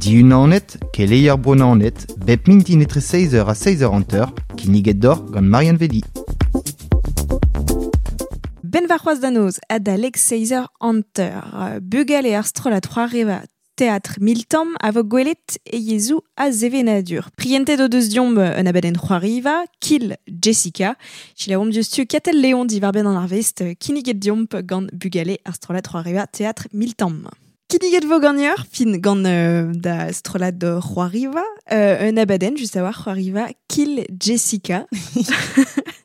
Diunanet, keleier Bro-Naoned, bep mintin etre 6h ha 6h50, kinniget deoc'h gant Marianne Velli. Ben warc'hoazh da noz adalek 6h50. Bugale ar strollad c'hoariva Teatr Miltamm a vo gwelet e yezhoù a sevenadur. Prientet o deus deomp un abadenn c'hoariva, Kill Jessica. Selaouomp diouzhtu Katell Leon diwar-benn an arvest kinniget deomp gant bugale ar strollad c'hoariva Teatr Miltamm. Kinniget vo ganeoc'h, fin gant da strollad c'hoariva, un abadenn just a-walc'h c'hoariva Kill Jessica.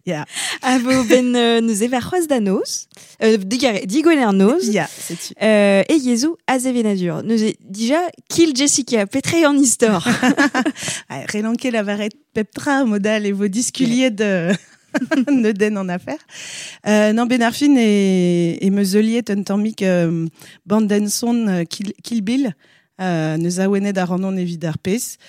Yeah. A vo ben neuze warc'hoazh da noz, digwener noz. Ya, setu. E yezhoù a sevenadur. Neuze, dija, Kill Jessica, petra eo an istor? Relan ket lavaret pep tra mod all e vo diskuliet neudenn an afer. Non, ben ar fin e meus heuliet un tammig bandenn son Kill Bill, neus awenet ar rannon evit ar pezh.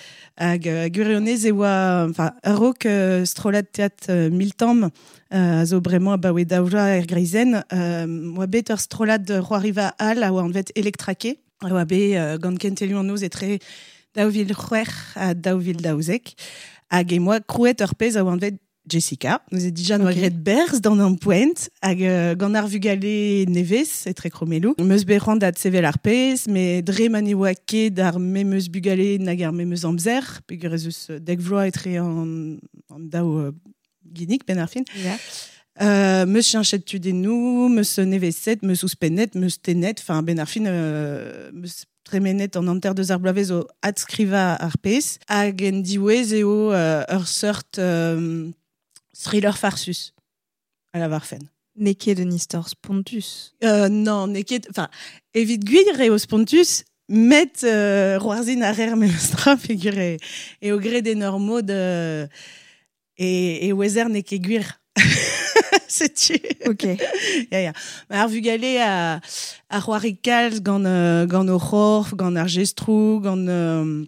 Hag gwirionez e oa, enfin, a-raok strollad teatr Miltamm a zo bremañ abaoe daou vloaz er greizenn, oa bet ur strollad c'hoariva all a oa anvet Electraqué, a oa bet gant kentelioù an noz etre 2006 ha 2012. Hag e moa krouet ur pezh a oa anvet Jessica. Neuze dija noa graet berzh d'an ampoent hag gant ar vugale nevez etre kromelloù. Meus bet c'hoant da sevel ar pezh, met dre ma ne oa ket ar memes bugale nag ar memes amzer, peogwir ez eus dek vloaz etre an daou ginnig benn ar fin. Meus cheñchet tudennoù, meus neveset, meus ouzhpennet, meus tennet, enfin benn ar fin meus tremenet an hanter deus ar bloavezh o adskrivañ ar pezh. Hag en diwezh eo ur seurt thriller farsus, a lavarfen. N'eo ket un istor spontus. Non, n'eo ket... Enfin, evit gwir eo spontus, met c'hoarzhin a reer memestra peogwir eo graet en ur mod e ouezer n'eo ket gwir. Setu. Ok. Ya, ya. Ar vugale a c'hoari kalz gant o c'horf, gant ar jestroù, gant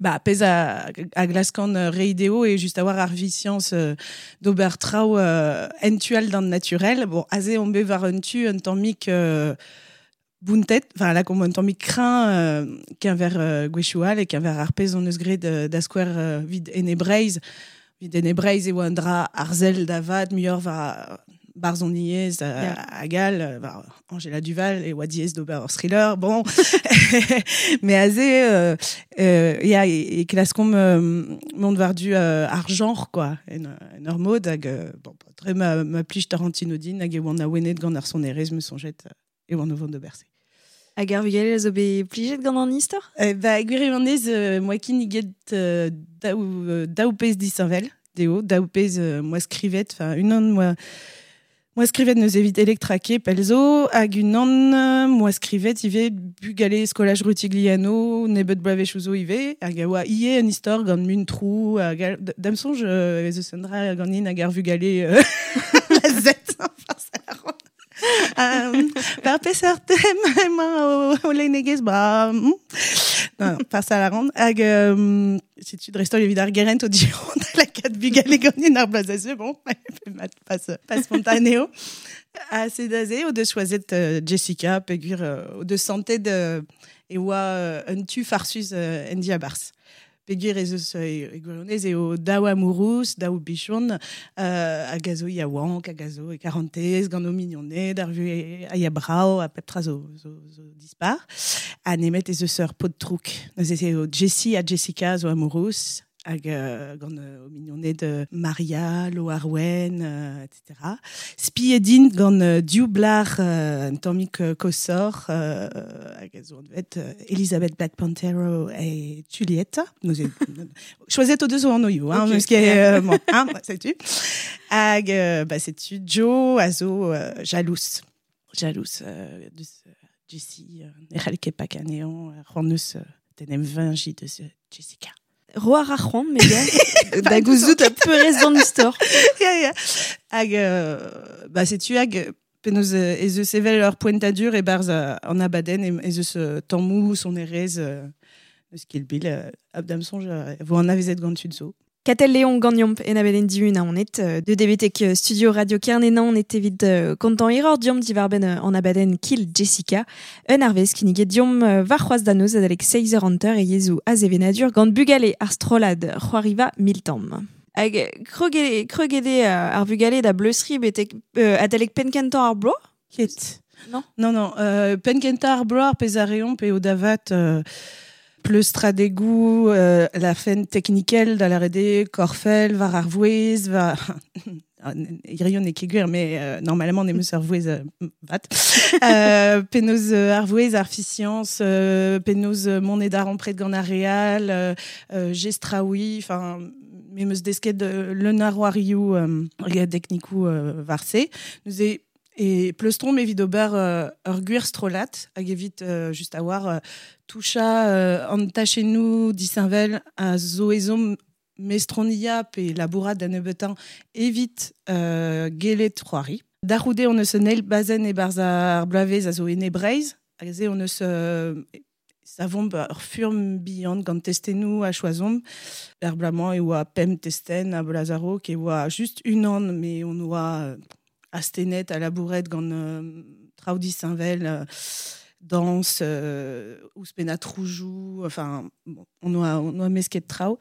bah, pezh a glaskan reiñ dezho eo just a-walc'h ar visiañs d'ober traoù en tu all d'an naturel. Bon, aze on bet war un tu un tammig bountet, enfin lakaomp un tammig kreñv keñver gwechoù all e keñver ar pezh hon eus graet da skouer evit Ene Breizh. Evit Ene Breizh e oa un dra arzel da vat muioc'h war barzhoniezh hag all, war Angela Duval e oa diaes d'ober ur thriller, bon. Mais aze, ya, e klaskomp mont war-du ar genre, quoi, en ur mod, hag bon, dre ma plij Tarantino din, hag e oan awenet gant ar sonerezh, me soñjet e oan o vont d'ober se. Hag ar vugale a zo bet plijet gant an istor? Ba, gwirionez, moa kinniget daou pezh disheñvel dezho, daou pezh moa skrivet, enfin unan moa skrivet neuze evit Electraqué pell zo, hag unan moa skrivet ivez bugale skolaj Rutigliano, nebeut bloavezhioù zo ivez, hag a oa ivez un istor gant muntroù, hag da'm soñj ez eus un dra ganin hag ar vugale la Z, enfin, ça la rend. Par peseurt tem emañ o lennegezh, ba, non, non, pas à la ronde. Hag setu dreist-holl evit ar gerent o diron da lakaat bugale ganin ar bloaz a zeu, bon, pas spontaneo. Ha sed aze o deus choazet Jessica peogwir o deus santet e oa un tu farsus en diabarzh. Peogwir ez eus e gwirionez eo daou amourous, daou bichon, hag a zo yaouank, hag a zo e karantez, gant o mignoned, ar vuhez a ya brav, ha pep tra zo dispar. Ha nemet ez eus ur paotr drouk. Neuze eo Jessie ha Jessica zo amourous, hag gant o mignoned Maria, Loarwen, etc. Spiet int gant div blac'h un tammig koshoc'h, hag a zo anvet Elizabeth Black Pantero e Juliette. Neuze, choazet o deus o anvioù, hein, meus ket, bon, hein, setu. Hag bah, setu Joe a zo jalous. Jalous deus Jessie, ne c'hall ket pakan anezhañ, c'hoant eus d'en em veñjiñ deus Jessica. Roar ar c'hoant, me gars, da gouzout a peurrest d'an istor. Ya, ya. Hag bah, setu hag penaos ez eus evel ur poentadur e-barzh an abadenn, ez eus tammoù sonerezh eus Kill Bill, hag da'm soñj e vo anavezet gant tud zo. Katell Léon gagnomp en abeden diun a onet de debetek studio Radio Kernenan et evit kontan error diom divarben an abaden Kill Jessica un arvez kinniget diom var c'hoaz danoz adalek 6 hanter e yezou azevenadur gant bugale ar strollad c'hoariva miltamm. Hag krogede ar vugale da bleusri betek adalek penkentan ar bloaz? Ket. Non? Non, non. Penkentan ar bloaz ar pezh a reomp pe o davat pleustradegou, la fen teknikel da la rede, korfel, var ar vouez, va... Irion e ket gwir, mais normalement ne meus ar vouez vat. Penaos ar vouez ar fiscience, penaos monet ar ampret gant ar real, gestraoui, enfin, me meus desket leun ar oarioù teknikou var se. Nous e E pleustron evit ober ur gwir strolat, hag evit just a war toucha an tachennoù disheñvel a zo ezhomm mestronia pe labourat da nebeutañ evit gelet c'hoari. Da c'houde on eus un eil bazenn e-barzh ar bloavezh a zo ene Breizh, hag se on eus savomp ur furm bihan gant testennoù a choazomp. Er bloaz-mañ e oa pemp testenn a Blazaro, e oa just unan, mais on oa astenet a labouret gant traoù disheñvel, danse, ouzhpenn troujou, enfin, bon, on oa mesket traoù.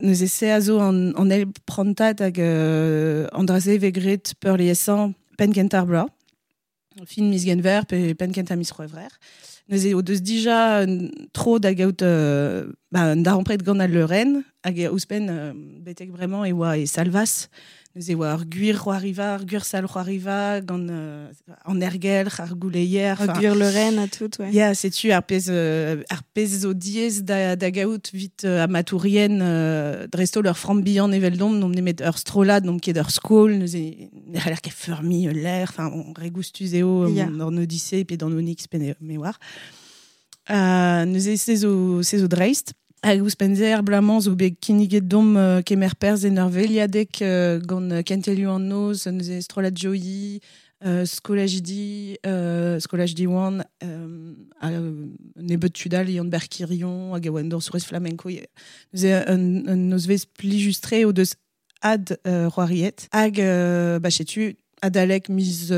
Neuze se a zo an eil prantad hag an dra-se vez graet peurliesañ penn kentañ ar bloaz, fin miz Genver pe penn kentañ miz C'hwevrer. Neuze o deus dija tro da gaout un darempred gant al leurenn hag ouzhpenn betek bremañ e oa e Salvas. Neuze e oa ur gwir c'hoariva, ur gwir sal c'hoariva gant an ergelc'h, ar gouleier. Ur gwir leurenn ha tout, ouais. Ya, setu ar pezh zo diaes da gaout vit amatourien dreist-holl ur framm bihan eveldomp, n'omp nemet ur strollad, n'omp ket ur skol, neuze ne c'haller ket feurmiñ ul lec'h, enfin, on regoustuz eo dans Odyssée pe dans Onyx pe me oar. Neuze se zo dreist. Hag ouzhpenn se ar bloaz-mañ zo bet kinniget domp kemer perzh en ur veliadeg gant kentelioù an noz, neuze strollad Joyi, skolajidi, skolaj Diwan, nebeut tud all, Yann Berkirion, hag a oa un dañsourez flamenco. Neuze un nozvezh plijus-tre o deus ad c'hoariet. Hag ba setu adalek miz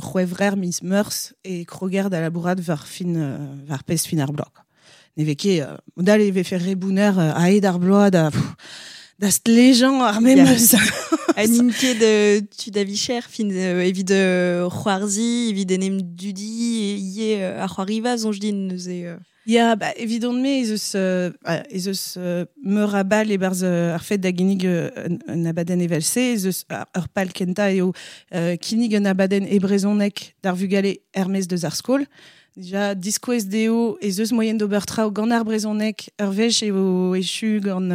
c'hwevrer, miz meurzh e kroger da labourat war fin war pezh fin ar bloaz. Ne vez ket modal e vefe re bouner aet ar bloaz da stlejañ ar memes. Ha n'int ket tud a vicher, fin evit c'hoarzi, evit en em dudi, ivez ar c'hoariva, soñj din neuze. Ya, ba, evidon-me ez eus meur a bal e-barzh ar fed da ginnig un abadenn evel-se, ez eus ur pal kentañ eo kinnig un abadenn e brezhoneg d'ar vugale er-maez deus ar skol. Déjà, diskouez dezho ez eus moyen d'ober traoù gant ar brezhoneg ur wech eo echu gant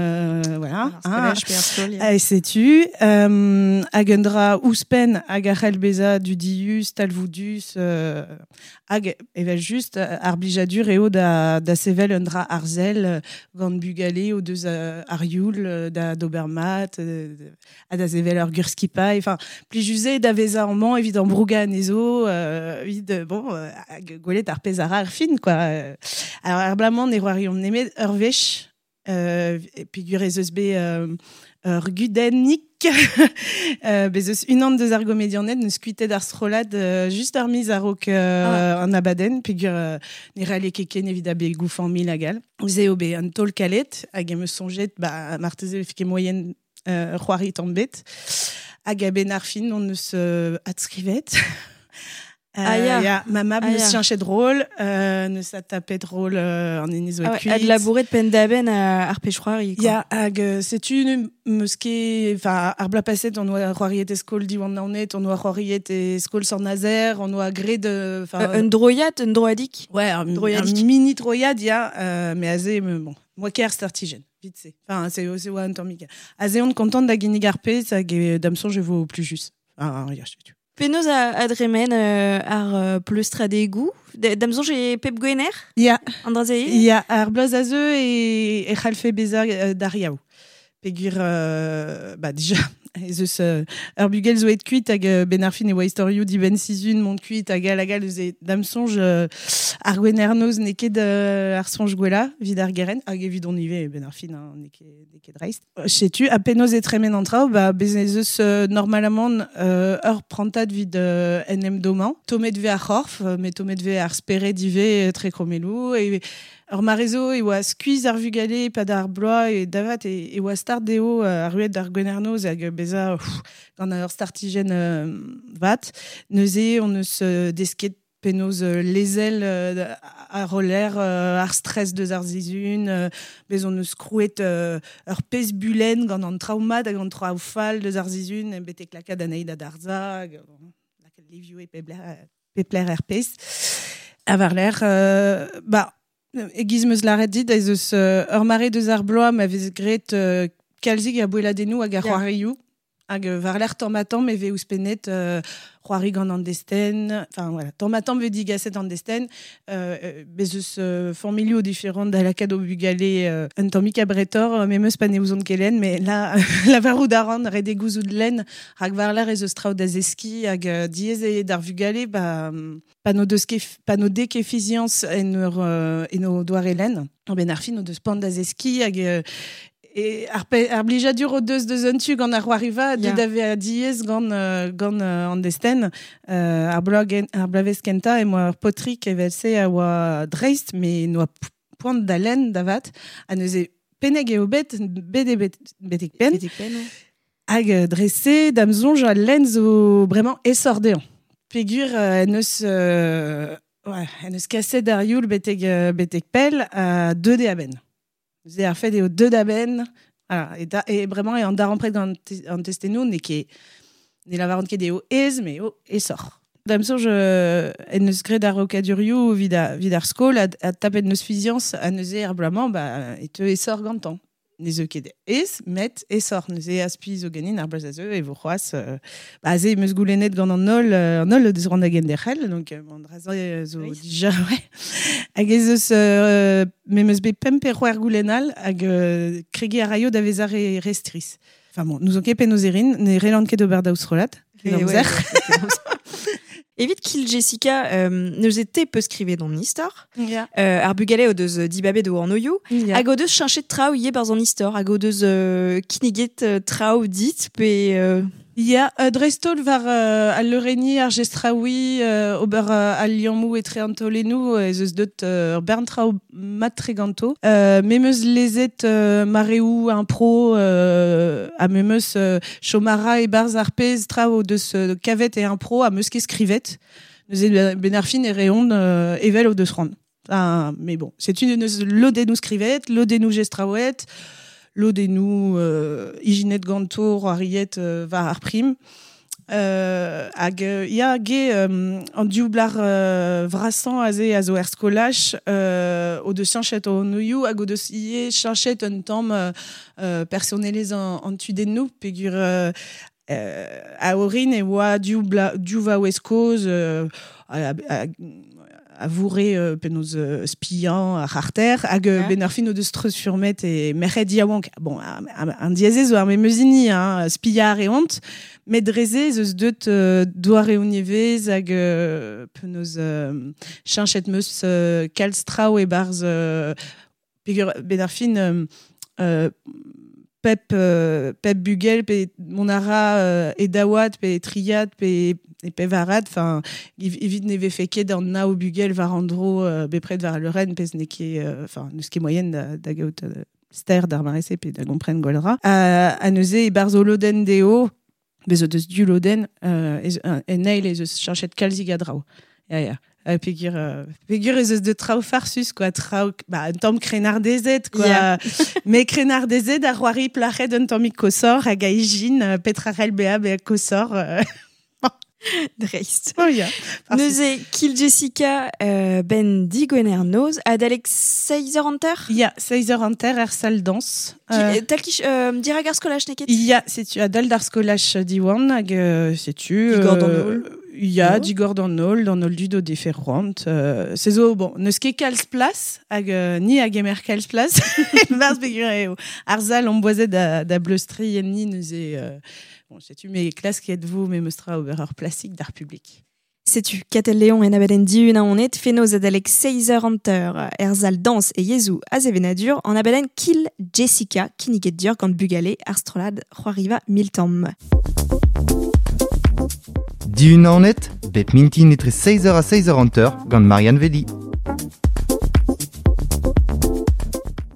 voilà. Ar skolaj pe ar skol, ya. Ha setu hag un dra ouzhpenn hag a c'hell bezañ dudius, talvoudus, hag evel just ar blijadur eo da sevel un dra arzel gant bugale o deus ar youl da d'ober mat, ha da sevel ur gur skipailh, enfin, plijus eo da vezañ amañ evit an brougañ anezho, evit bon, hag gwelet ar pezh ar ar fin, quoi. Alors, ar bloaz-mañ ne c'hoariomp nemet ur wech, peogwir ez eus bet ur gudennig, bez eus unan deus ar gomedianed neus kuitet ar strollad just ar miz a-raok an abadenn, peogwir ne c'halle ket ken evit abegoù familh hag all. Neuze eo bet un taol kalet, hag em eus soñjet, ba, marteze e vefe ket moyen c'hoari tamm bet. Hag a-benn ar fin on eus adskrivet. Ah, ya. Ya, ma mab Ah, neus ya. cheñchet rôle, neus adtapet rôle an hini zo Ah ouais, kuit. ad labouret penn-da-benn ar pezh c'hoari, quoi. Ya, hag setu meus ket, enfin, ar bloaz paset on oa c'hoariet e skol Diwan Naoned, on oa c'hoariet e skol Sant-Nazer, on oa graet, enfin, Un droiad, un droadik? Ouais, Droiadik. un mini droiad, ya, mais aze, bon, moi ker startigen, vite c'est. Enfin, c'est oa un tammig. Aze on kontant da ginnig ar pezh hag da'm soñj e vo plus juste. Ah, ya, setu. Penaos a dremen ar pleustradegoù? Da'm soñj e pep gwener? Ya. An dra-se eo? Ya, ar bloaz a zeu e c'hallfe bezañ d'ar yaou. Peogwir bah, déjà, Ez eus ur bugel zo aet kuit hag ben ar fin e oa istorioù dibenn sizhun mont kuit hag all hag all eus e da'm soñj ar gwener-noz n'eo ket ar soñj gwellañ evit ar gerent hag evidon ivez ben ar fin hein, n'eo ket, n'eo ket dreist. Setu ha penaos e tremen an traoù ba bez ez eus normalamant ur prantad evit en em dommañ. Tommet 'vez ar c'horf met tommet 'vez ar spered ivez tre krommelloù e Ur mare zo e oa skuizh ar vugale e-pad ar bloaz e da vat e, e oa start dezho arruet d'ar Gwener-noz hag bezañ gant ur startijenn vat. Neuze hon eus desket penaos lezel ar roller ar stress deus ar sizhun, bez hon eus krouet ur pezh bulenn gant an traoù mat hag an traoù fall deus ar sizhun betek lakaat anezhi da darzhañ hag lakaat livioù e pep lec'h pep lec'h er pezh. Ha war-lerc'h, ba, e-giz 'm eus lâret dit, ez eus ur mare deus ar bloaz ma vez graet kalzik a boelladennoù hag a c'hoarioù. Hag war-lerc'h tamm-ha-tamm e vez ouzhpennet c'hoari gant an destenn. Enfin voilà, tamm-ha-tamm vez digaset an destenn. Bez eus familhoù diferant da lakaat o bugale un tammig abretoc'h, memes pa ne ouzont ket lenn, mais là, lavarout a ran, ret eo gouzout lenn, rak war-lerc'h ez eus traoù da zeskiñ hag diaes eo d'ar vugale ba, pa n'o deus ket, pa n'o dez ket fiziañs en ur en o doare lenn. A-benn ar fin o deus poan da zeskiñ hag e ar, ar blijadur o deus deus un tu gant ar c'hoariva yeah. da vezañ diaes gant gant an destenn. Ar bloaz ar bloavezh kentañ em boa ur paotrig evel-se a oa dreist met n'oa poan da lenn da vat ha neuze pennek eo bet bet eo bet betek penn. Betek penn Hag dre-se, da'm soñj, al lenn zo bremañ aesoc'h dezhañ. Peogwir en deus ouais, en deus kaset ar youl betek betek pell ha deuet eo a-benn. Neuze ar fed eo deuet a-benn, voilà, e, da, e bremañ eo an darempred gant an testennoù n'eo ket ne lavaran ket eo aes, met eo aesoc'h. Da'm soñj en deus graet arokadurioù evit, evit ar skol ha, ha tapet neus fiziañs ha neuze ar bloaz-mañ ba, e teu aesoc'h gantañ. Ne zeu ket aes, met aesoc'h. Neuze aspi zo ganin ar bloaz a zeu e vo c'hoazh. Ba aze em eus goulennet gant an holl, an holl deus c'hoant da genderc'hel, donc an dra-se zo dija, ouais. Hag ez eus me 'm eus bet pemp pe c'hwec'h goulenn all hag kregiñ a raio da vezañ re, re strizh. Enfin bon, n'ouzon ket penaos e rin, ne relan ket ober daou strollad. Amzer. Evit Kill Jessica, neuze te peus skrivet an istor. Yeah. Ar bugale o deus dibabet o anvioù. Yeah. Hag o deus cheñchet traoù ivez barzh an istor. Hag o deus kinniget traoù dit pe... Ya, dreist-holl war al leurenniñ, ar jestraouiñ, ober al liammoù etre an taolennoù, ez eus deut ur bern traoù mat-tre ganto. Me 'm eus lezet mareoù impro ha me 'm eus chom a ra e-barzh ar pezh traoù o deus kavet e impro ha 'm eus ket skrivet. Neuze benn ar fin e reont evel o deus c'hoant. Ah, mais bon, setu neus lodennoù skrivet, lodennoù jestraouet, lodennoù ijinet ganto, c'hoariet war ar prim. Hag ya, ge, an div blac'h vrasañ aze a zo er skolaj o deus cheñchet o anvioù hag o deus ivez cheñchet un tamm personelezh an tudennoù peogwir a orin e oa div div vaouez kozh a vourre penaos spiañ ar c'harter hag ben ar fin o deus treuzfurmet e merc'hed yaouank. Bon, an diazez zo ar memes hini, hein, spiañ a reont, met dre-se ez eus deut doareoù nevez hag penaos cheñchet 'meus kalz traoù e-barzh peogwir ben ar fin pep pep bugel pe mont a ra e daouad pe e triad pe e pevarad enfin evit ne vefe ket an nav bugel war an dro bepred war al leurenn pezh n'eo ket enfin n'eus ket moaien da, da gaout ster d'ar mare-se pe da gompren gwell ra ha neuze e-barzh o lodenn dezho bez o deus div lodenn en eil ez eus cheñchet kalzik a draoù ya ya peogwir peogwir ez eus de traoù farsus quoi traoù ba un tamm krennardezed quoi yeah. mais krennardezed a c'hoari plac'hed un tammig koshoc'h hag a ijin petra c'hell bezañ bezañ koshoc'h Dreist. Oh, yeah. Neuze, Kill Jessica, ben digwener noz, adalek 6h hanter? Ya, 6h hanter er salle danse. Tal kich, dirak ar skolaj, n'eo ket? Ya, setu adal d'ar skolaj Diwan, hag setu... Digor d'an holl. Ya, digor d'an ol, d'an ol dud o defe c'hoant. Se zo, bon, neus ket kalz plas, hag ni a gemer kalz plas, barz peogwir eo ar zal on boazet da bleustri enni neuze, bon, setu me klasket vo memes tra ober ur plasik d'ar publik. Setu, Katell Léon en abadenn Dihun Aonet, fenoz adalek 6h hanter er zal dañs e yezhoù a sevenadur an abadenn Kill Jessica kinniget deoc'h gant bugale ar strollad C'hoariva Miltamm. Dihun Aonet, bep mintin etre 6h ha 6h hanter gant Marianne Velli.